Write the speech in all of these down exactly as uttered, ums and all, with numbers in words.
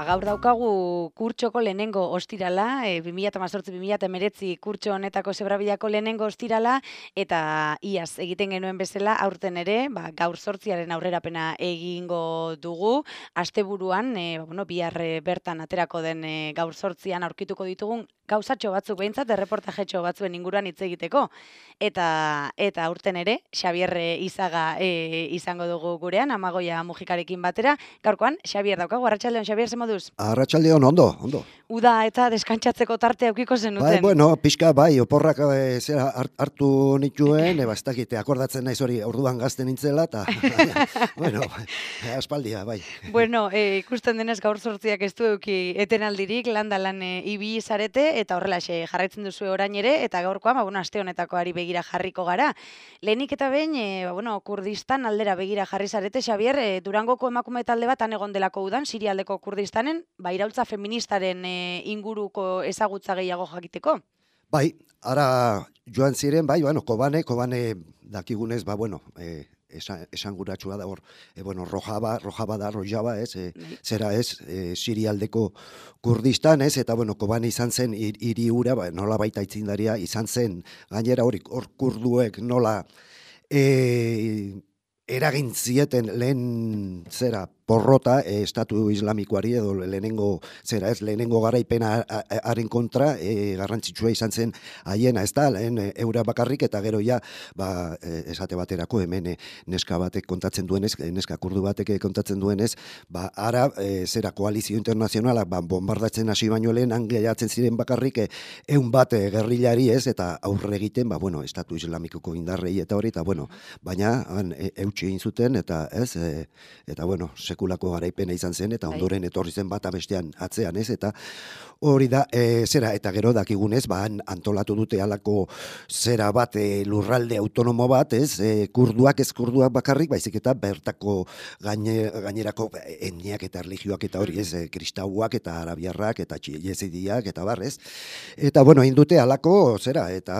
gaur daukagu kurtsoko lehenengo ostirala, e, bi mila hemezortzi bi mila hemeretzi kurtso honetako Zebrabidako lehenengo ostirala, eta iaz egiten genuen bezala, aurten ere, ba, gaur zortziaren aurrerapena egingo dugu, asteburuan, e, bueno, bihar bertan aterako den e, gaur zortzian aurkituko ditugun gauzatxo batzuk behintzat, erreportajetxo batzuen inguruan hitz egiteko, eta eta aurten ere, Xabier Izaga e, izango dugu gurean, Amagoia Mujikarekin batera. Gaurkoan, Xabier daukagu, arratsaldeon, Xabier, ze moduz? Arratsaldeon, ondo, ondo. Uda eta deskantsatzeko tarte aukiko zenuten. Bai, bueno, pixka, bai, oporrak e, zera hartu nituen, eba, ez dakite, akordatzen naiz hori orduan gazten nintzela, eta, bueno, aspaldia, bai. Bueno, e, ikusten denez gaur zortziak ez du euki etenaldirik, landa lan e, ibili zarete, eta horrelaxe jarraitzen duzu orain ere, eta gaurkoan, ba, bueno, aste honetako ari begira jarriko gara. Lehenik eta behin, e, ba, bueno, Kurdistan aldera begira jarri zarete, Xabier, e, Durangoko emakume talde bat han egon delako udan, Sirialdeko Kurdistanen, ba, iraultza feministaren e, inguruko ezagutza gehiago jakiteko? Bai, ara joan ziren, bai, bueno, Kobane, Kobane dakigunez, ba, bueno, e, esan, esanguratsua da hor, e, bueno, Rojava, Rojava da, Rojava, ez, e, zera ez, e, Sirialdeko Kurdistan, ez, eta, bueno, Kobane izan zen hiri hura, ba, nola baita itzindaria, izan zen, gainera hori, hor kurduek nola, e, eragin zieten lehen zera porrota e, estatu islamikoari edo lehenengo zera ez lehenengo garaipena haren kontra e, garrantzitsua izan zen haiena, ez da, lehen e, eura bakarrik eta gero ja ba, e, esate baterako hemen e, neska batek kontatzen duenez, e, neska kurdu batek kontatzen duenez, ba ara e, zera koalizio internazionala ba, bombardatzen hasi baino lehen angeiatzen ziren bakarrik e, eun bat e, gerrilari ez eta aurre egiten, ba bueno, estatu islamikoko indarrei eta hori, eta bueno, baina han e, eutsi egin zuten eta ez, e, eta bueno, sekulako garaipena izan zen, eta ondoren etorri zen bata bestean atzean, ez, eta hori da, e, zera, eta gero dakigunez, ba, antolatu dute halako zera bat, e, lurralde autonomo bat, ez, e, kurduak ez kurduak bakarrik, baizik eta bertako gaine, gainerako etniak eta erlijioak eta hori, ez, e, kristauak eta arabiarrak eta jezidiak eta barrez, eta bueno, indute halako, zera, eta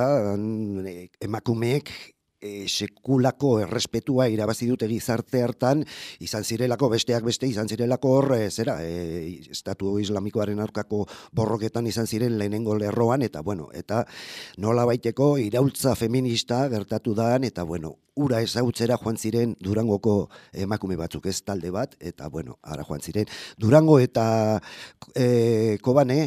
e, emakumeek E, sekulako errespetua irabazi dute gizarte hartan, izan zirelako besteak beste, izan zirelako hor, e, zera, e, estatu islamikoaren aurkako borroketan izan ziren lehenengo lerroan, eta bueno, eta nola baiteko iraultza feminista gertatu daan, eta bueno, ura ezagutzera joan ziren Durangoko emakume batzuk, ez talde bat, eta bueno, ara joan ziren. Durango eta e, Kobane,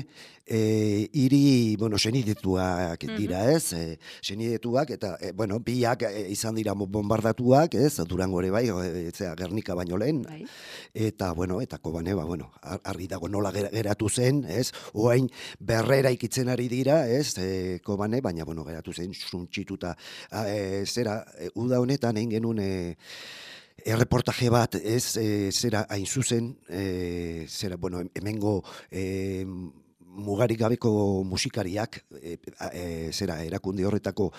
E, iri, bueno, senidetuak dira, ez? E, senidetuak, eta, e, bueno, biak e, izan dira bombardatuak, ez? Durango ere bai, e, zera, Gernika baino lehen, bai. Eta, bueno, eta Kobane, ba, bueno, argi dago nola geratu zen, ez? Oain berrera ikitzen ari dira, ez? E, Kobane, baina, bueno, geratu zen, suntxituta, e, zera, e, uda honetan egin genuen, e, erreportaje bat, ez, e, zera, hain zuzen, e, zera, bueno, hemengo, e, mugarik gabeko musikariak e, e, zera erakunde horretako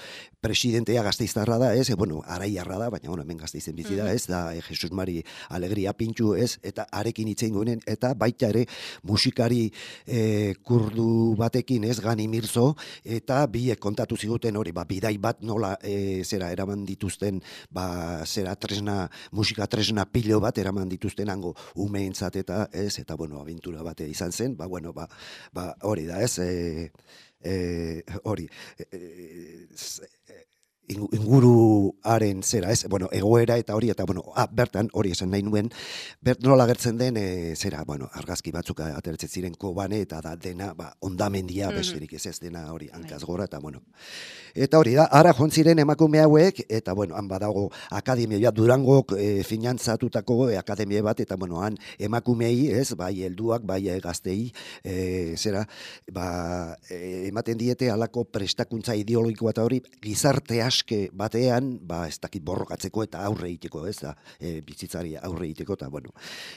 presidentea Gasteiztarra da, ez, e, bueno, araiarra da, baina bueno, hemen Gasteizen bizi da, ez, da e, Jesus Mari Alegria Pintxu, ez, eta arekin itzein goenen, eta baita ere musikari e, kurdu batekin, ez, Gani Mirzo, eta biek kontatu ziguten hori, ba, bidai bat nola e, zera eraman dituzten, ba, zera tresna, musika tresna pilo bat eraman dituzten hango umeentzat eta, ez, eta bueno, abentura bate izan zen, ba, bueno, ba, ba hori da, ez, e, e, hori, e, e, inguruaren zera, ez, bueno, egoera eta hori, eta, bueno, ah, bertan, hori esan nahi nuen, bert nola gertzen den, e, zera, bueno, argazki batzuk ateratzen ziren Kobane, eta da dena, ba, ondamendia, mm-hmm. besterik ez ez dena hori, hankaz gora, eta, bueno, eta hori da, ara joan ziren emakume hauek, eta, bueno, han badago akademia, Durangok e, finantzatutako e, akademia bat, eta, bueno, han emakumei, ez, bai helduak, bai gaztei, e, zera, ba, e, ematen diete halako prestakuntza ideologikoa eta hori, gizarte aske batean, ba, ez dakit borrokatzeko eta aurre egiteko, ez da, e, bizitzari aurre egiteko, eta, bueno,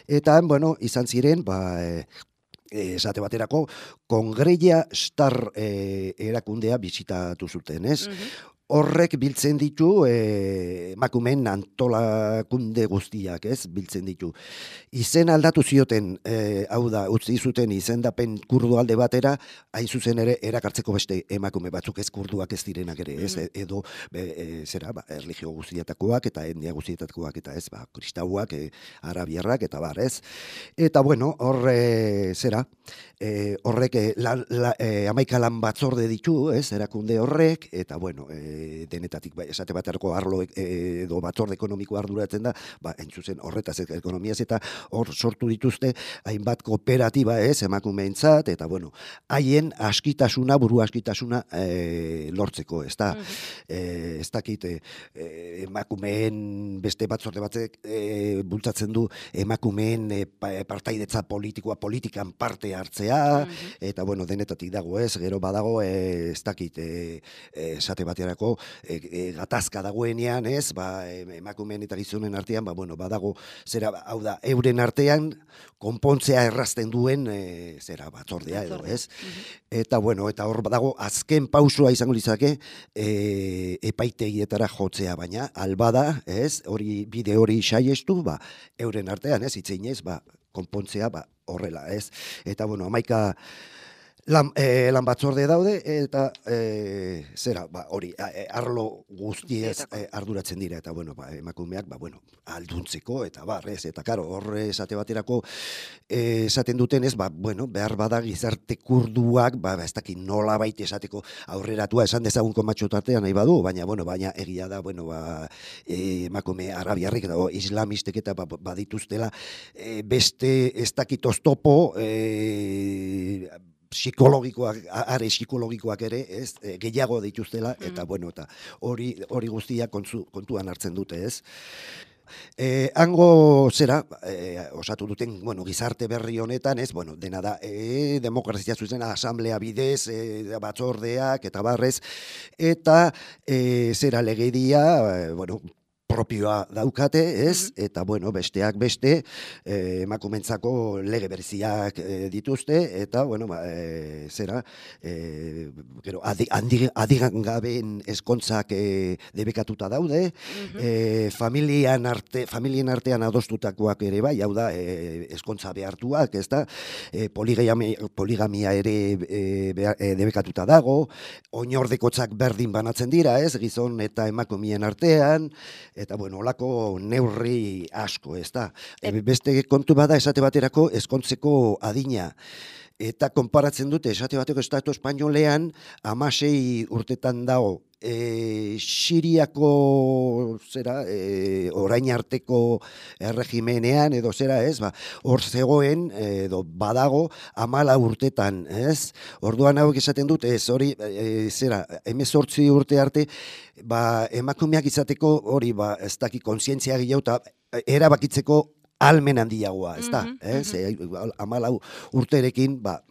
eta, bueno, izan ziren, ba, e, esate baterako, Kongreia Star e, erakundea bizitatu zuten, ez? Mm-hmm. horrek biltzen ditu eh, emakumeen antolakunde guztiak, ez, biltzen ditu. Izen aldatu zioten, eh, hau da, utzi zuten izendapen kurdu alde batera, hain zuzen ere erakartzeko beste emakume batzuk ez kurduak ez direnak ere, ez, Mhm. edo be, e, zera, ba, erlijio guztietakoak eta etnia guztietakoak eta ez, ba, kristauak, e, arabiarrak eta bar, ez. Eta bueno, hor e, zera, e, horrek e, la, la, e, amaika lan batzorde ditu, ez, erakunde horrek, eta bueno, e, denetatik, ba, esate baterako arlo e, edo batzorde ekonomiko arduratzen da, ba, entzuzen horretaz ekonomiaz, eta hor sortu dituzte hainbat kooperatiba, ez, emakumeentzat, eta bueno, haien askitasuna, buru askitasuna e, lortzeko, ez da, e, ez dakit, e, emakumeen beste batzorde batzek e, bultzatzen du emakumeen e, partaidetza politikoa, politikan parte hartzea, eta bueno, denetatik dago, ez, gero badago, e, ez dakit, e, esate baterako, e, e, gatazka dagoenean, ez, ba, emakumeen eta gizonen artean, ba, bueno, badago, zera, hau da, euren artean, konpontzea errazten duen, e, zera, batzordea edo, ez? Eta, bueno, eta hor badago, azken pausua izango litzake, e, epaitegietara jotzea, baina, albada, ez, hori, bide hori saiestu, ba, euren artean, ez, itzeinez, ba, konpontzea, ba, horrela, ez? Eta, bueno, amaika lan, e, lan batzorde daude, eta e, zera, ba, hori, e, arlo guztiez e, arduratzen dira, eta, bueno, ba, emakumeak, ba, bueno, alduntzeko, eta bar, ez, eta, karo, horre esate baterako e, esaten duten ez, ba, bueno, behar bada gizarte kurduak, ba, ez dakit nola baita esateko aurreratua esan dezagun komatxo tartean nahi badu, baina, bueno, baina egia da, bueno, ba, e, emakume arabiarrik, edo islamistek eta ba, badituztela, e, beste ez dakit oztopo, e, psikologikoak, are psikologikoak ere, ez, e, gehiago dituztela, eta mm. bueno, eta hori hori guztia kontu, kontuan hartzen dute, ez. E, hango zera, e, osatu duten, bueno, gizarte berri honetan, ez, bueno, dena da, e, demokrazia zuzen, asamblea bidez, e, batzordeak, eta barrez, eta e, zera legedia, e, bueno, propioa daukate, ez, eta, bueno, besteak beste, eh, emakumentzako lege berziak eh, dituzte, eta, bueno, ba, eh, zera, eh, gero, adi, adi, adigangaben eskontzak eh, debekatuta daude, eh, familian arte, familien artean adostutakoak ere bai, hau da, eh, eskontza behartuak, ez da, eh, poligamia, poligamia ere eh, behar, eh, debekatuta dago, oinordekotzak berdin banatzen dira, ez, gizon eta emakumeen artean, eta, bueno, olako neurri asko, ez da. E, beste kontu bada esate baterako eskontzeko adina. Eta konparatzen dute esate bateko estatu espainolean hamasei urtetan dago e, Siriako zera, e, orain arteko erregimenean edo zera, ez, ba, hor zegoen edo badago hamala urtetan, ez? Orduan hauek esaten dute, ez, hori, e, zera, hemezortzi urte arte, ba, emakumeak izateko hori, ba, ez daki kontzientzia gehiago eta erabakitzeko almen handiagoa, ez da, mm -hmm, ez, mm -hmm. Amalau urterekin, ba,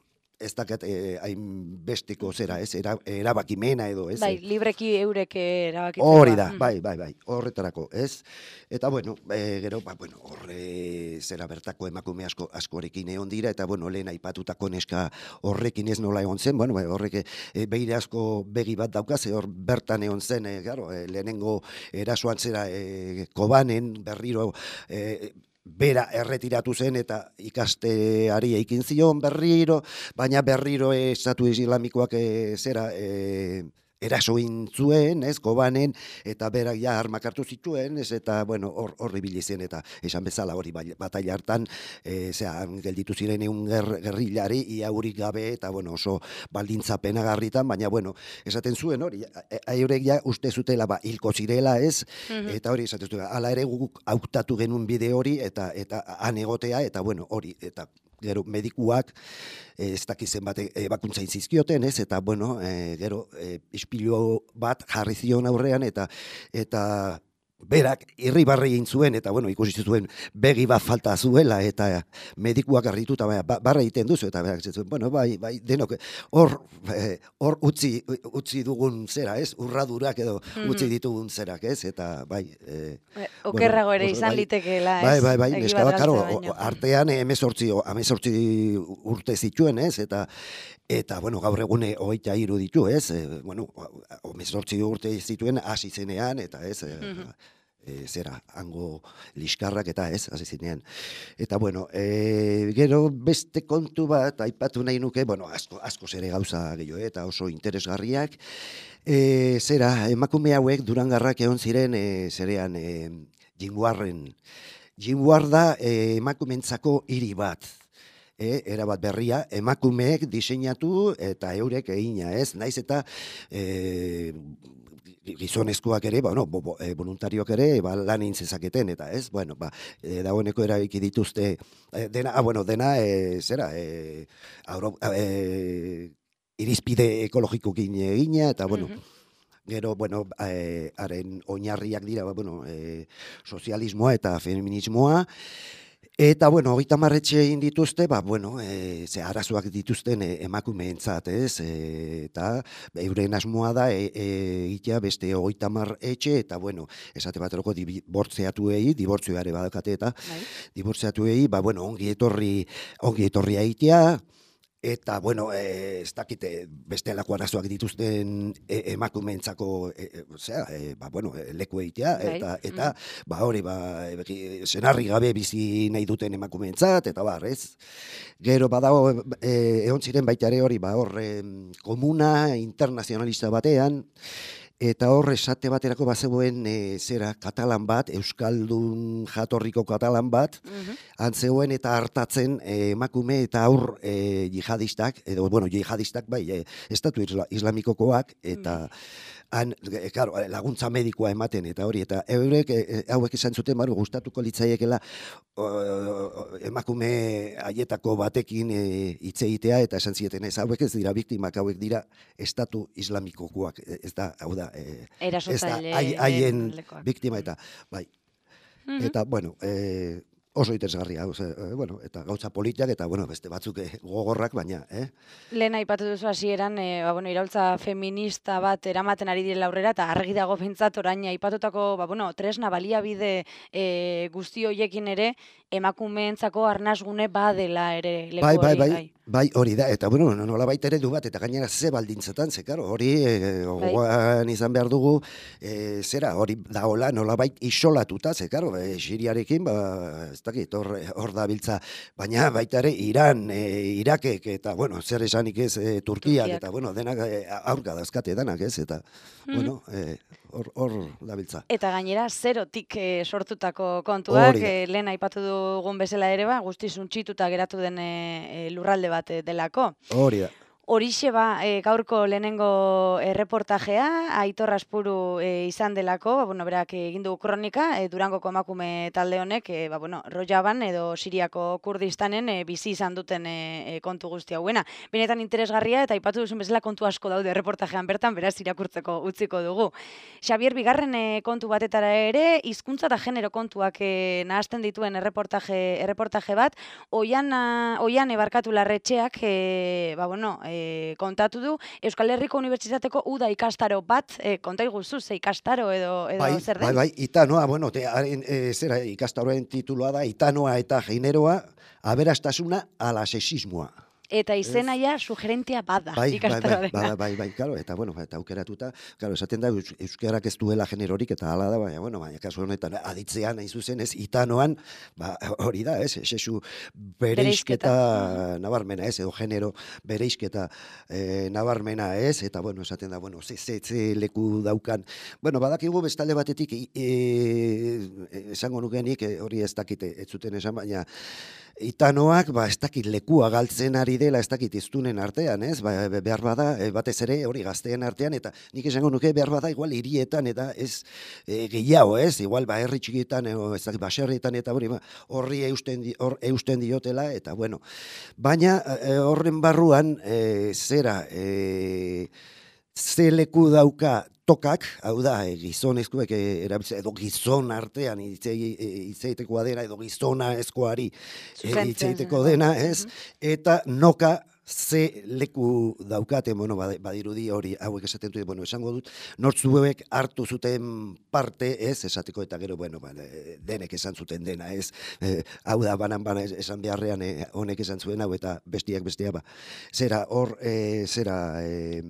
ez dakat hain eh, besteko zera, ez, era, erabakimena edo, ez. Bai, libreki eurek erabakitzeko. Hori da, bai, bai, bai, horretarako, ez. Eta, bueno, e, gero, ba, bueno, horre zera bertako emakume asko, askorekin egon dira, eta, bueno, lehen aipatutako neska horrekin ez nola egon zen, bueno, bai, horrek e, behire asko begi bat daukaz, hor bertan egon zen, e, garo, e, lehenengo erasoan zera e, Kobanen berriro, e, bera erretiratu zen eta ikasteari eikin zion berriro, baina berriro estatu islamikoak e, zera e, erasoin zuen, ez, Kobanen, eta berak ja armak hartu zituen, ez, eta, bueno, hor, horri zen, eta esan bezala hori bataila hartan, e, zera, gelditu ziren egun ger, gerrilari, ia hurik gabe, eta, bueno, oso baldintza penagarritan, baina, bueno, esaten zuen, hori, aurek ja uste zutela, ba, hilko zirela, ez, mm-hmm. eta hori, esaten zuen, ala ere guk hautatu genuen bide hori, eta, eta han egotea, eta, bueno, hori, eta, gero medikuak ez dakizen bat ebakuntzain zizkioten, ez, eta, bueno, e, gero e, ispilu bat jarri zion aurrean, eta eta berak irribarre egin zuen, eta, bueno, ikusi zuen begi bat falta zuela, eta medikuak arrituta, ba, barra egiten duzu, eta berak zuen, bueno, bai, bai, denok, hor, hor utzi, utzi dugun zera, ez, urradurak edo utzi ditugun zerak, ez, eta, bai, e, okerrago bueno, ere izan bai, litekeela, ez? Bai, bai, bai, neska bat, karo, artean emezortzi, emezortzi urte zituen, ez, eta Eta, bueno, gaur egune hogeita hiru ditu, ez? E, bueno, hemezortzi urte zituen hasi zenean, eta ez, e, e, zera, hango liskarrak eta ez, hasi zinean. Eta, bueno, e, gero beste kontu bat, aipatu nahi nuke, bueno, asko, asko zere gauza gehiago, eta oso interesgarriak, e, zera, emakume hauek Durangarrak egon ziren, e, zerean, e, Jinguarren. Jinguar da e, emakumentzako hiri bat. E, erabat berria, emakumeek diseinatu eta eurek egina, ez? Naiz eta e, gizonezkoak ere, bueno, bo, bo, e, voluntarioak ere, ba, lan egin zezaketen, eta ez? Bueno, ba, e, dagoeneko erabiki dituzte, e, dena, ah, bueno, dena, e, zera, e, auro, e, irizpide ekologikokin egina, eta, bueno, gero, bueno, e, haren oinarriak dira, ba, bueno, e, sozialismoa eta feminismoa. Eta, bueno, hogeita marretxe egin dituzte, ba, bueno, e, ze arazoak dituzten e, emakumeentzat, ez? E, eta euren asmoa da e, e, egitea beste hogeita mar etxe, eta, bueno, esate bateroko dibortzeatuei, dibortzioare badakate eta, dibortzeatuei, ba, bueno, ongi etorri, ongi etorri egitea, eta, bueno, e, ez dakite bestelako arazoak dituzten e, emakumeentzako, e, e, zera, e, ba, bueno, leku egitea, eta, eta mm. ba, hori, ba, e, senarri gabe bizi nahi duten emakumeentzat, eta bar, ez? Gero, badago, e, egon ziren baita ere hori, ba, hor, e, komuna internazionalista batean, eta hor esate baterako bazegoen e, zera katalan bat, euskaldun jatorriko katalan bat, uh-huh. antzegoen eta hartatzen e, emakume eta aur e, jihadistak, edo, bueno, jihadistak bai, e, estatu isla, islamikokoak, eta han, e, claro, laguntza medikoa ematen, eta hori, eta eurek, e, hauek izan zuten, baru, gustatuko litzaiekela o, emakume haietako batekin hitz e, egitea, eta esan zieten ez, hauek ez dira biktimak, hauek dira estatu islamikokoak, ez da, hau da, e, ez da, haien biktima, eta, bai, mm-hmm. eta, bueno, e, oso interesgarria, oze, e, bueno, eta gauza politiak, eta, bueno, beste batzuk e, gogorrak, baina, eh? Lehen aipatu duzu hasieran, e, ba, bueno, iraultza feminista bat eramaten ari direla aurrera, eta argi dago pentsat orain aipatutako, ba, bueno, tresna baliabide e, guzti hoiekin ere, emakumeentzako arnasgune badela ere leku bai, bai, hori. Bai, bai, bai, hori da, eta bueno, nola baita ere du bat, eta gainera ze baldintzetan, ze, karo, hori e, gogoan izan behar dugu, e, zera, hori daola nola bait isolatuta, ze, karo, e, Siriarekin, ba, ez dakit, hor, hor da biltza, baina baita ere Iran, e, Irakek, eta, bueno, zer esanik ez, e, Turkiak, Turkiak, eta, bueno, denak e, aurka dazkate denak, ez, eta, mm-hmm. bueno, e, hor, hor dabiltza. Eta gainera, zerotik e, sortutako kontuak, e, lehen aipatu dugun bezala ere, ba, guzti zuntxituta geratu den e, lurralde bat delako. Hori da. Horixe ba, e, gaurko lehenengo erreportajea, Aitor Aspuru e, izan delako, ba, bueno, berak egin du kronika, e, Durangoko emakume talde honek, e, ba, bueno, Rojaban edo Siriako Kurdistanen e, bizi izan duten e, e, kontu guzti hauena. Benetan interesgarria eta aipatu duzun bezala kontu asko daude erreportajean bertan, beraz irakurtzeko utziko dugu. Xabier, bigarren e, kontu batetara ere, hizkuntza eta genero kontuak e, nahazten dituen erreportaje, erreportaje bat, oian, oian ebarkatu larretxeak, e, ba, bueno, e, E, kontatu du, Euskal Herriko Unibertsitateko uda ikastaro bat, e, konta iguzu, ze ikastaro edo, edo bai, zer den? Bai, bai, itanoa, bueno, te, haren, e, zera, ikastaroen tituloa da, itanoa eta generoa, aberastasuna ala sexismoa. Eta izena ja sugerentia bada, bai, ikastaroa bai, bai, bai, bai, bai, claro, eta, bueno, eta aukeratuta, claro, esaten da, euskarak ez duela generorik, eta hala da, baina, bueno, baina, kasu honetan, aditzean, hain zuzen, ez, itanoan, ba, hori da, ez, sexu bereizketa nabarmena, ez, edo genero bereizketa e, nabarmena, ez, eta, bueno, esaten da, bueno, ze, ze, ze leku daukan, bueno, badakigu bestalde batetik, e, esango nukenik, e, hori ez dakite, ez zuten esan, baina, itanoak, ba, ez dakit lekua galtzen ari dela, ez dakit iztunen artean, ez, ba, behar bada, batez ere, hori gazteen artean, eta nik esango nuke behar bada, igual hirietan, eta ez e, gehiago, ez, igual, ba, herri txikietan, e, ez dakit, baserrietan, eta hori, ba, horri eusten, di, hor, eusten diotela, eta, bueno, baina e, horren barruan, e, zera, e, ze leku dauka tokak, hau da, e, gizonezkoek e, erabiltzen, edo gizon artean hitzeitekoa dena, edo gizona eskoari hitzeiteko dena, ez? Eta noka ze leku daukate, bueno, badirudi hori, hauek esaten dute, bueno, esango dut, nortzuek hartu zuten parte, ez, esateko eta gero, bueno, ba, denek esan zuten dena, ez, e, hau da, banan bana esan beharrean, e, honek esan zuen hau, eta bestiak bestia, ba, zera, hor, e, zera, e,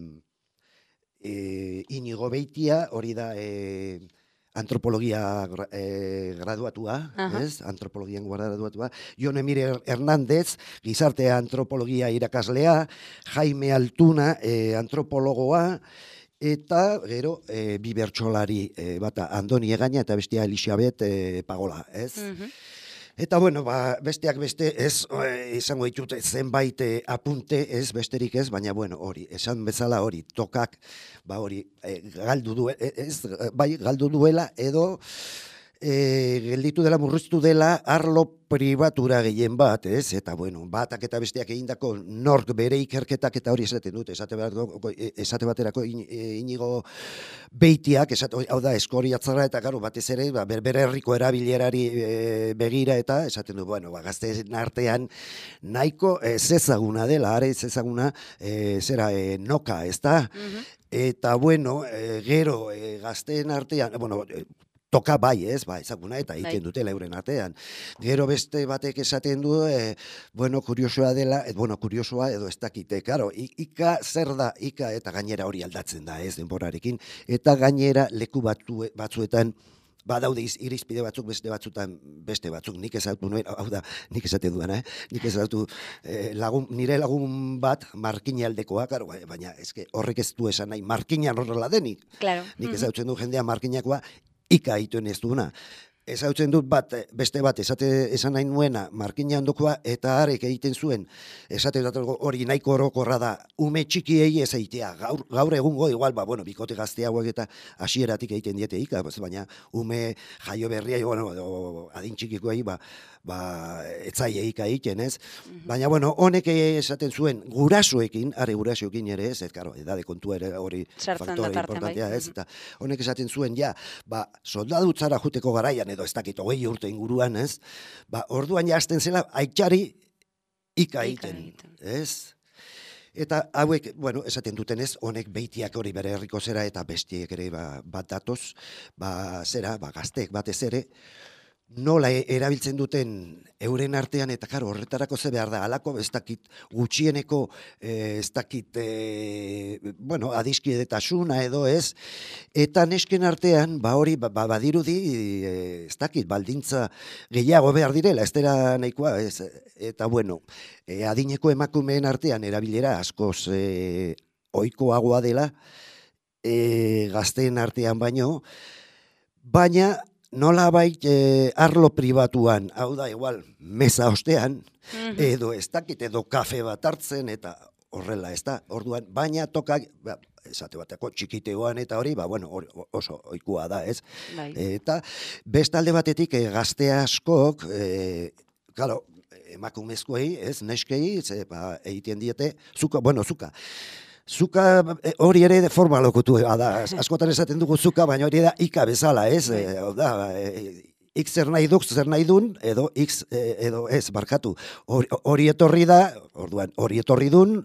e, Inigo Beitia, hori da, e, antropologia eh, graduatua, Aha. ez? Antropologian graduatua. Jon Emire Hernández, gizarte antropologia irakaslea, Jaime Altuna, eh, antropologoa, eta gero eh, bi bertsolari eh, bata Andoni Egaña eta bestia Elizabeth eh, Pagola, ez? Mhm. Eta bueno, ba, besteak beste ez e, izango ditut zenbait e, apunte ez besterik ez, baina bueno, hori, esan bezala hori, tokak, ba hori, e, galdu du, e, ez, bai, galdu duela edo e, gelditu dela, murriztu dela arlo pribatura gehien bat, ez? Eta bueno, batak eta besteak egindako nork bere ikerketak eta hori esaten dute, esate, bat, esate baterako Inigo Beitiak, esate, hau da, eskoriatzara eta garo batez ere, ba, berbere herriko erabilerari e, begira eta esaten du, bueno, ba, gazteen artean nahiko ez ezaguna dela, are ez ezaguna e, zera e, noka, ez da? Mm-hmm. Eta bueno, e, gero e, gazteen artean, bueno, e, toka bai, ez, ba, ezaguna, eta egiten dutela euren artean. Gero beste batek esaten du, e, bueno, kuriosoa dela, et, bueno, kuriosoa edo ez dakite, karo, ika zer da, ika eta gainera hori aldatzen da, ez, denborarekin, eta gainera leku batu, batzuetan, badaude irizpide batzuk, beste batzutan, beste batzuk, nik ezautu nuen, hau da, nik esaten duena, eh? Nik ezautu eh, lagun, nire lagun bat, markina aldekoa, karo, baina eske, horrek ez du esan nahi, markina horrela denik. Claro. Nik ezautzen du jendea markinakoa, ika ituen ez duena. Ezautzen dut bat, beste bat, esate esan nahi nuena, markina ondokoa, eta harek egiten zuen, esate dut hori nahiko orokorra da, ume txikiei ez egitea, gaur, gaur egungo, igual, ba, bueno, bikote gazte hauek eta hasieratik egiten diete ika, baina ume jaio berria, bueno, o, adin txikikoei, ba, ba, etzaile ika egiten, ez? Mm-hmm. Baina, bueno, honek esaten zuen, gurasoekin, are gurasoekin ere ez, ez, karo, edade kontua ere hori faktore importantea, ez? Eta honek esaten zuen, ja, ba, soldadutzara juteko garaian, edo ez dakit, hogei urte inguruan, ez? Ba, orduan jazten zela, aitxari ika egiten, ez? Eta hauek, bueno, esaten duten ez, honek Beitiak hori bere herriko zera eta bestiek ere ba, bat datoz, ba, zera, ba, gazteek batez ere, nola erabiltzen duten euren artean, eta karo, horretarako ze behar da, alako ez dakit gutxieneko, eh, ez dakit, eh, bueno, adiskidetasuna edo ez, eta nesken artean, ba hori, ba, badirudi, eh, ez dakit, baldintza gehiago behar direla, ez dela nahikoa, ez, eta bueno, eh, adineko emakumeen artean erabilera askoz eh, ohikoagoa dela, eh, gazteen artean baino, baina, nola bait eh, arlo pribatuan, hau da, igual, mesa ostean, mm-hmm. edo ez dakit, edo kafe bat hartzen, eta horrela, ez da, orduan, baina tokak, ba, esate bateko txikitegoan eta hori, ba, bueno, or, oso oikua da, ez? Bai. Eta bestalde batetik eh, gazte askok, eh, claro, emakumezkoei, ez, neskei, ze, ba, egiten diete, zuka, bueno, zuka, Zuka hori ere de forma lokutu da, askotan esaten dugu zuka, baina hori da ika bezala, ez? E, da, e, X zer nahi duk, zer nahi dun, edo X edo ez, barkatu. Hori etorri da, orduan, hori etorri dun,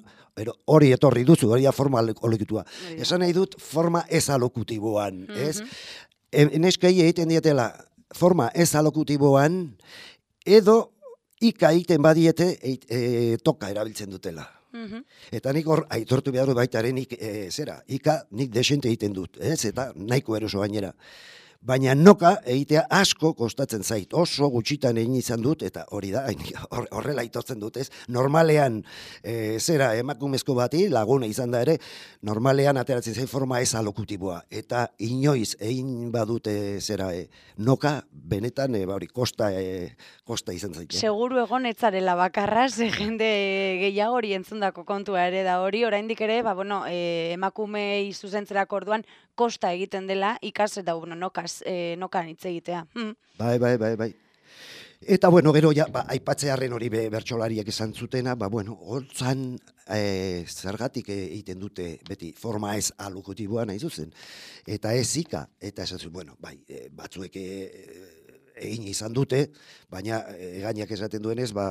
hori etorri duzu, hori da forma lokutua. Esan nahi dut forma ez alokutiboan, ez? Mm-hmm. Neskei egiten dietela forma ez alokutiboan, edo ika egiten badiete e, toka erabiltzen dutela. Mm-hmm. Eta nik hor, aitortu behar dut baitaren nik, e, zera, ika nik desente egiten dut, ez? Eta nahiko eroso gainera. Baina noka egitea asko kostatzen zait, oso gutxitan egin izan dut, eta hori da, horrela aitortzen dut, ez? Normalean, e, zera, emakumezko bati, laguna izan da ere, normalean ateratzen zain forma ez alokutiboa, eta inoiz egin badute, zera, e, noka, benetan, e, bauri, kosta, e, kosta izan zait. Seguru egon etzarela bakarra, ze jende gehiago hori entzundako kontua ere da hori, oraindik ere, ba, bueno, e, emakumei zuzentzerako orduan, kosta egiten dela, ikas eta bueno, nokaz, e, nokan hitz egitea. Hmm. Bai, bai, bai, bai. Eta, bueno, gero, ja, ba, aipatzearen hori be, bertsolariak esan zutena, ba, bueno, hortzan e, zergatik egiten dute beti forma ez alokutiboa nahi zuzen. Eta ez ika, eta esan zuen, bueno, bai, e, batzuek e, egin izan dute, baina gainak esaten duenez, ba,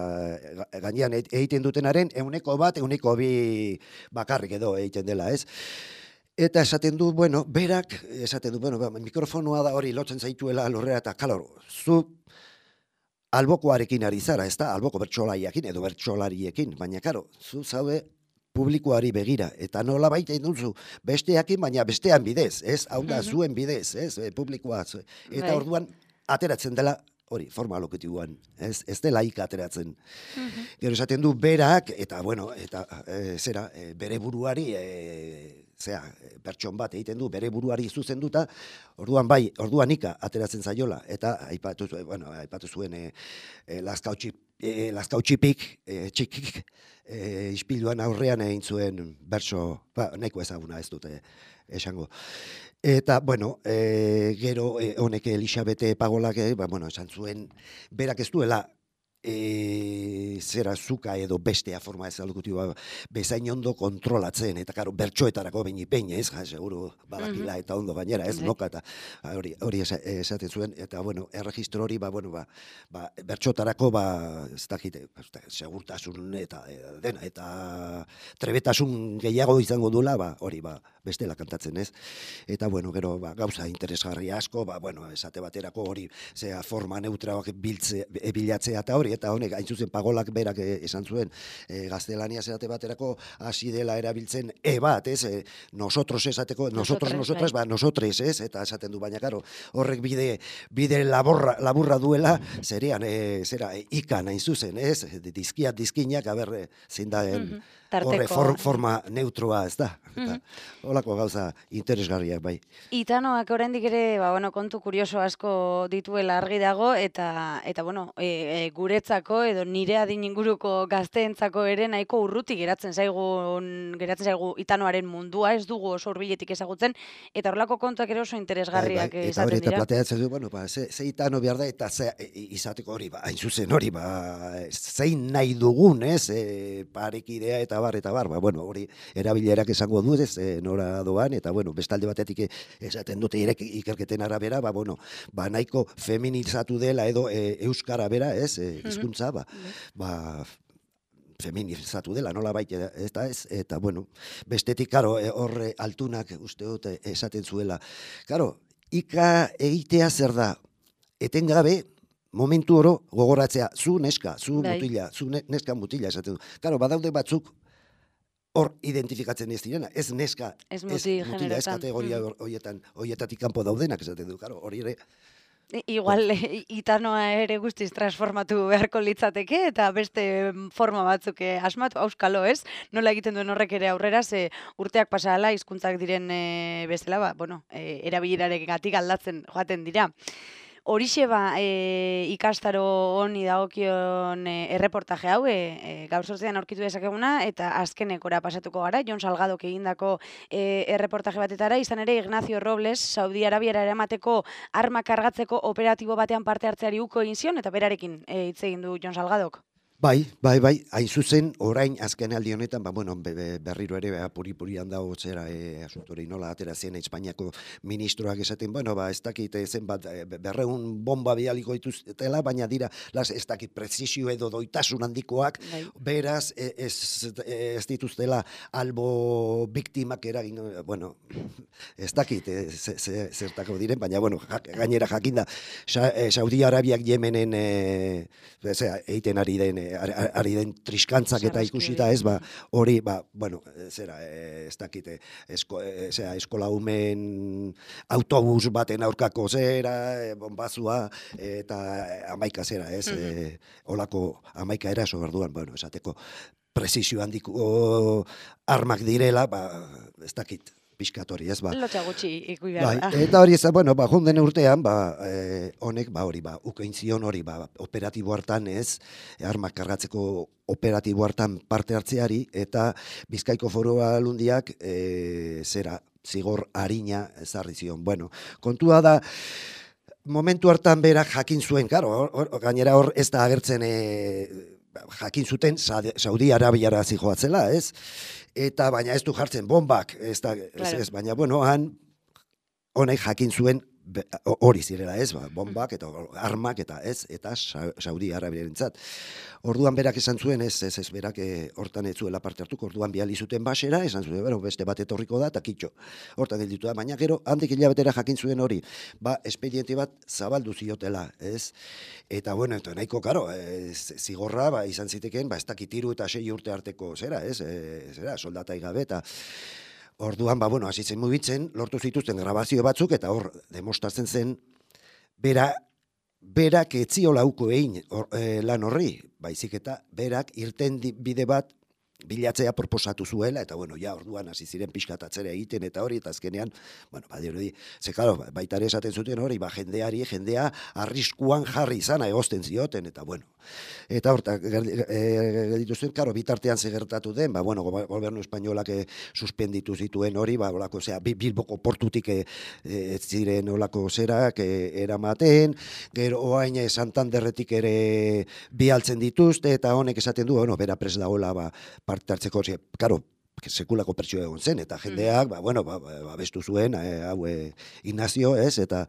gainean egiten dutenaren euneko bat, euneko bi bakarrik edo egiten dela, ez? Eta esaten du, bueno, berak, esaten du, bueno, mikrofonoa da hori lotzen zaituela lurrera, eta kalor, zu albokoarekin ari zara, ez da, alboko bertsolaiakin edo bertsolariekin, baina, karo, zu zaude publikoari begira, eta nola baita duzu besteakin, baina bestean bidez, ez, hau da, zuen bidez, ez, publikoa, eta orduan, ateratzen dela, hori, forma loketiguan, ez, ez dela ika ateratzen. Gero esaten du, berak, eta, bueno, eta, e, zera, e, bere buruari, e, zera, pertson bat egiten du, bere buruari zuzenduta, orduan bai, orduan ika ateratzen zaiola, eta aipatu, bueno, aipatu zuen e, e, laskautxi, e, laskautxipik, e, txikik, e, ispiluan aurrean egin zuen bertso, ba, nahiko ezaguna ez dute esango. Eta, bueno, e, gero e, honek Elisabete Pagolak, e, ba, bueno, esan zuen, berak ez duela, E, zera zuka edo bestea forma ez aldukuti ba, bezain ondo kontrolatzen, eta karo, bertsoetarako behin ipein, ez, ja, seguru badakila eta ondo gainera, ez, noka, eta hori, hori esaten zuen, eta, bueno, erregistro hori, ba, bueno, ba, ba bertsoetarako, ba, ez dakite, segurtasun eta dena, eta trebetasun gehiago izango dula, ba, hori, ba, bestela kantatzen, ez, eta, bueno, gero, ba, gauza interesgarri asko, ba, bueno, esate baterako hori, zera, forma neutralak biltze, bilatzea eta hori, eta honek, hain zuzen Pagolak berak esan zuen, e, gaztelania zerate baterako hasi dela erabiltzen e bat, ez, e, nosotros esateko, nosotros, nosotras, ba, nosotres, ez, eta esaten du, baina, karo, horrek bide, bide laborra, laburra duela, zerean, e, zera, e, ikan hain zuzen, ez, dizkiat, dizkinak, aber, zein daen, horre, for, forma neutroa, ez da, eta holako gauza interesgarriak, bai. Itanoak oraindik ere, ba, bueno, kontu kurioso asko dituela argi dago, eta, eta bueno, e, e, guretzako edo nire adin inguruko gazteentzako ere nahiko urruti geratzen zaigun, geratzen zaigu Itanoaren mundua, ez dugu oso hurbiletik ezagutzen, eta horlako kontuak ere oso interesgarriak bai, bai, esaten dira. Eta hori, eta plateatzen du, bueno, ba, ze, ze Itano behar da, eta ze, izateko hori, ba, hain zuzen hori, ba, zein nahi dugun, ez, e, parekidea eta bar, eta bar, ba, bueno, hori erabilerak esango du, ez, e, nora doan, eta, bueno, bestalde batetik esaten dute irek ikerketen arabera, ba, bueno, ba, nahiko feminizatu dela edo e, euskara bera, ez, e, hizkuntza, ba, ba, feminizatu dela, nola baita, eta ez, eta, bueno, bestetik, karo, horre altunak uste dute esaten zuela. Karo, ika egitea zer da, etengabe, momentu oro gogoratzea, zu neska, zu mutila, zu neska mutila esaten du. Karo, badaude batzuk, hor identifikatzen ez direna, ez neska, ez mutila, ez kategoria horietan, horietatik kanpo daudenak esaten du, karo, hori ere. Igual, Itanoa ere guztiz transformatu beharko litzateke, eta beste forma batzuk asmatu, auskalo, ez? Nola egiten duen horrek ere aurrera, ze urteak pasala, hizkuntzak diren bezala, ba, bueno, erabileraregatik aldatzen joaten dira. Horixe ba, e, ikastaro honi dagokion e, erreportaje hau, e, e, gaur sortzean aurkitu dezakeguna, eta azkenekora pasatuko gara, Jon Salgadok egindako e, erreportaje batetara, izan ere Ignacio Robles, Saudi Arabiara eramateko arma kargatzeko operatibo batean parte hartzeari uko egin zion, eta berarekin e, hitz egin du Jon Salgadok. Bai, bai, bai, hain zuzen, orain azken aldi honetan, ba, bueno, berriro ere, puri-purian dago zera, e, asuntori nola atera zen Espainiako ministroak esaten, bueno, ba, ez dakit zenbat, berreun bomba bialiko dituztela, baina dira, las, ez dakit prezisio edo doitasun handikoak, bai. Beraz, ez, ez dituztela albo biktimak eragin, bueno, ez dakit, zertako diren, baina, bueno, gainera jakinda, Saudi Arabiak Yemenen, e, zera, eiten ari den, ari den triskantzak eta ikusita ez, ba, hori, ba, bueno, zera, ez dakite, esko, zera, eskola umen autobus baten aurkako zera, bombazua, eta amaika zera, ez, mm-hmm. e, olako amaika eraso berduan, bueno, esateko, prezisio handiko armak direla, ba, ez dakit, pixkatori, ez, ba. Lotxa gutxi ikui behar. Bai, eta hori ez, bueno, ba, jonden urtean, ba, eh, honek, ba, hori, ba, ukein zion hori, ba, operatibo hartan ez, armak kargatzeko operatibo hartan parte hartzeari, eta Bizkaiko Foru Aldundiak, e, zera, zigor harina ezarri zion. Bueno, kontua da, momentu hartan berak jakin zuen, karo, or, or, gainera hor ez da agertzen, e, jakin zuten Saudi Arabiara zijoatzela, ez? Eta baina ez du jartzen bombak, ez da, ez, ez, baina bueno, han honek jakin zuen hori zirela ez, ba, bombak eta armak eta ez, eta Saudi Arabiarentzat. Orduan berak esan zuen, ez, ez, ez, berak e, hortan ez zuela parte hartuko, orduan bihali zuten basera, esan zuen, bero, beste bat etorriko da, eta kitxo, hortan gelditu da, baina gero, handik hilabetera jakin zuen hori, ba, espediente bat zabaldu ziotela, ez, eta, bueno, eta nahiko, karo, e, zigorra, ba, izan ziteken, ba, ez dakitiru eta sei urte arteko, zera, ez, e, zera, soldatai gabe, eta, orduan, ba, bueno, hasi zen mugitzen, lortu zituzten grabazio batzuk, eta hor, demostratzen zen, bera, berak etziola uko egin e, lan horri, baizik eta berak irten bide bat bilatzea proposatu zuela, eta bueno, ja, orduan hasi ziren pixkatatzera egiten, eta hori, eta azkenean, bueno, badirudi, ze, claro, baita ere esaten zuten hori, ba, jendeari, jendea arriskuan jarri izana egozten zioten, eta bueno, eta horta, gelditu zen, karo, bitartean zegertatu den, ba, bueno, gobernu espainolak suspenditu zituen hori, ba, olako, zera, Bilboko portutik e, ez ziren olako zerak e, eramaten, gero oain Santanderretik ere bialtzen dituzte, eta honek esaten du, bueno, bera pres dagoela, ba, parte hartzeko, karo, sekulako pertsio egon zen, eta jendeak, ba, bueno, ba, ba, bestu zuen, e, hau, e, Ignacio, ez, eta,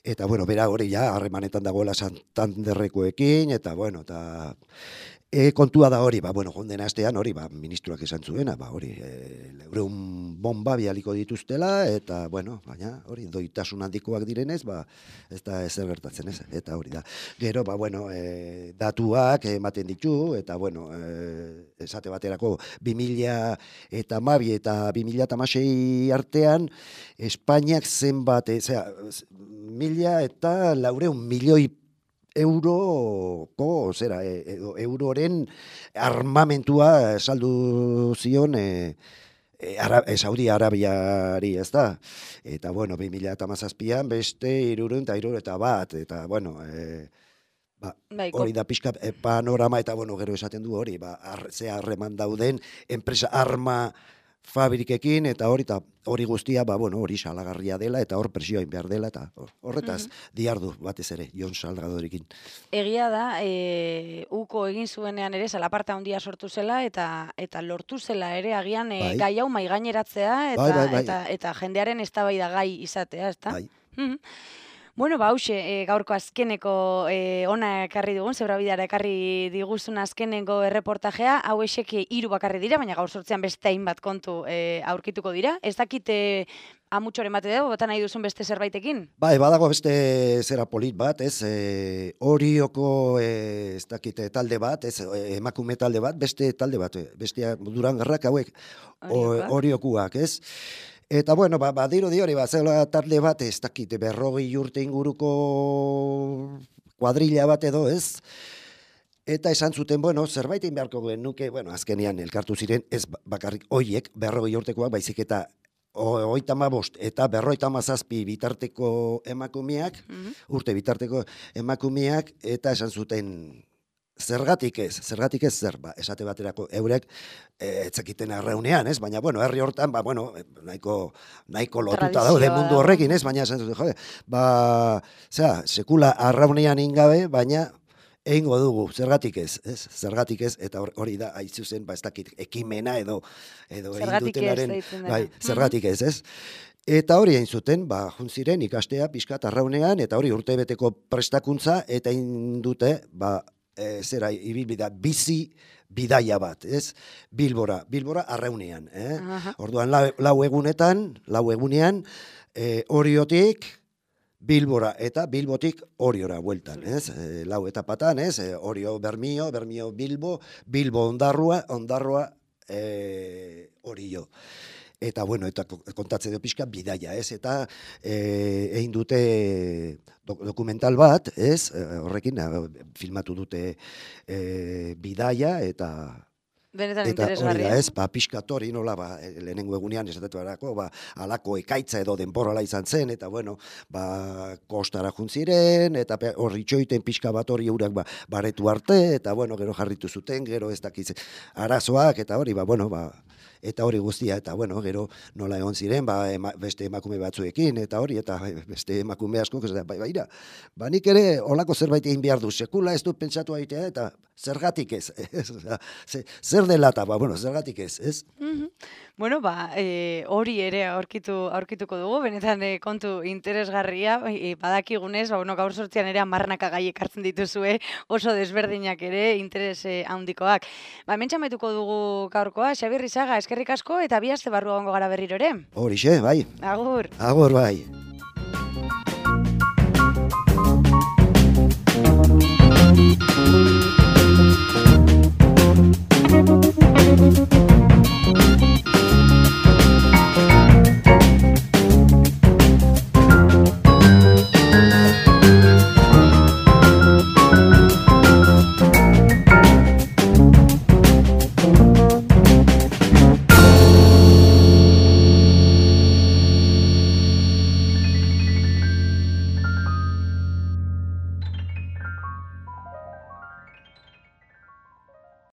eta, bueno, bera hori ja, harremanetan dagoela Santanderrekoekin, eta, bueno, eta, e, kontua da hori, ba, bueno, jonden astean hori, ba, ministroak esan zuena, ba, hori, e, leureun bomba bialiko dituztela, eta, bueno, baina, hori, doitasun handikoak direnez, ba, ez da ezer gertatzen, ez, eta hori da. Gero, ba, bueno, e, datuak ematen ditu, eta, bueno, e, esate baterako, bi mila eta hamabi eta bi mila eta hamasei artean, Espainiak zenbat, e, zera, mila eta laureun milioi euroko, zera, e, euroren armamentua saldu zion e, e, Ara, e, Saudi Arabiari, ez da? Eta, bueno, bi mila eta hamazazpian beste hirurehun eta hirurogeita bat, eta, bueno, e, ba, hori da pixka e, panorama, eta, bueno, gero esaten du hori, ba, ar, ze harreman dauden, enpresa arma fabrikekin, eta hori, eta hori guztia, ba, bueno, hori salagarria dela, eta hor presioain behar dela, eta horretaz, mm-hmm. diardu batez ere, Jon Salgadorekin. Egia da, e, uko egin zuenean ere, salaparta handia sortu zela, eta eta lortu zela ere, agian, e, bai. gai hau maigaineratzea, eta, bai, bai, bai. eta, eta jendearen eztabaida gai izatea, ezta? Bai. Mm-hmm. Bueno, ba, hause, e, gaurko azkeneko e, ona ekarri dugun, zebrabidara ekarri diguzun azkeneko erreportajea, hau esek hiru bakarri dira, baina gaur sortzean beste hainbat kontu e, aurkituko dira. Ez dakit e, amutxoren bate dugu, bota nahi duzun beste zerbaitekin? Ba, badago beste zera polit bat, ez, e, horioko e, ez dakit talde bat, ez, emakume talde bat, beste talde bat, bestea Durangarrak hauek horiokuak, ez? Eta, bueno, ba, badiro di hori, ba, zela talde bat, ez dakit, berrogei urte inguruko kuadrilla bat edo, ez? Eta esan zuten, bueno, zerbait egin beharko genuke, bueno, azkenean elkartu ziren, ez bakarrik hoiek, berrogei urtekoak, baizik eta hogeita hamabost eta berrogeita hamazazpi bitarteko emakumeak, mm-hmm. urte bitarteko emakumeak, eta esan zuten, zergatik ez, zergatik ez zer, ba, esate baterako eurek etzakiten arraunean, ez? Baina, bueno, herri hortan, ba, bueno, nahiko, nahiko lotuta daude mundu horrekin, ez? Baina, esan zuten, jode, ba, zera, sekula arraunean ingabe, baina egingo dugu, zergatik ez, ez? Zergatik ez, eta hori da, haitzu zen, ba, ez dakit, ekimena edo, edo egin dutenaren, bai, zergatik ez, ez? Eta hori egin zuten, ba, juntziren ikastea pixkat arraunean, eta hori urtebeteko prestakuntza, eta egin dute, ba, E, zera, ibilbida, bizi bidaia bat, ez? Bilbora, Bilbora arraunean, eh? Uh-huh. Orduan, lau, lau egunetan, lau egunean, e, oriotik Bilbora eta Bilbotik oriora bueltan, ez? E, lau etapatan, ez? E, orio Bermio, Bermio Bilbo, Bilbo Ondarrua, Ondarrua e, orio. Eta, bueno, eta kontatze dio pixka bidaia, ez? Eta e, egin dute dokumental bat, ez? Horrekin, filmatu dute e, bidaia, eta benetan eta hori da, interesgarria. ez? Ba, pixkat hori nola, ba, lehenengo egunean esatatu erako, ba, alako ekaitza edo denborala izan zen, eta, bueno, ba, kostara juntziren, eta hori txoiten pixka bat hori eurak ba, baretu arte, eta, bueno, gero jarritu zuten, gero ez dakiz arazoak, eta hori, ba, bueno, ba, eta hori guztia, eta bueno, gero nola egon ziren, ba, ema, beste emakume batzuekin, eta hori, eta beste emakume asko, ez da, bai, baira, ba, nik ere olako zerbait egin behar du, sekula ez dut pentsatu aitea, eta zergatik ez, ez? Zer dela eta, ba, bueno, zergatik ez, ez? Mm-hmm. Bueno, ba, e, hori ere aurkitu, aurkituko dugu, benetan e, kontu interesgarria, e, badakigunez, ba, bueno, gaur sortzian ere amarnaka gai ekartzen dituzue, oso desberdinak ere, interes e, handikoak. Ba, hemen txametuko dugu gaurkoa, Xabier Rizaga, eskerrik asko, eta bi aste barru egongo gara berriro ere. Horixe, bai. Agur. Agur, bai. Thank you.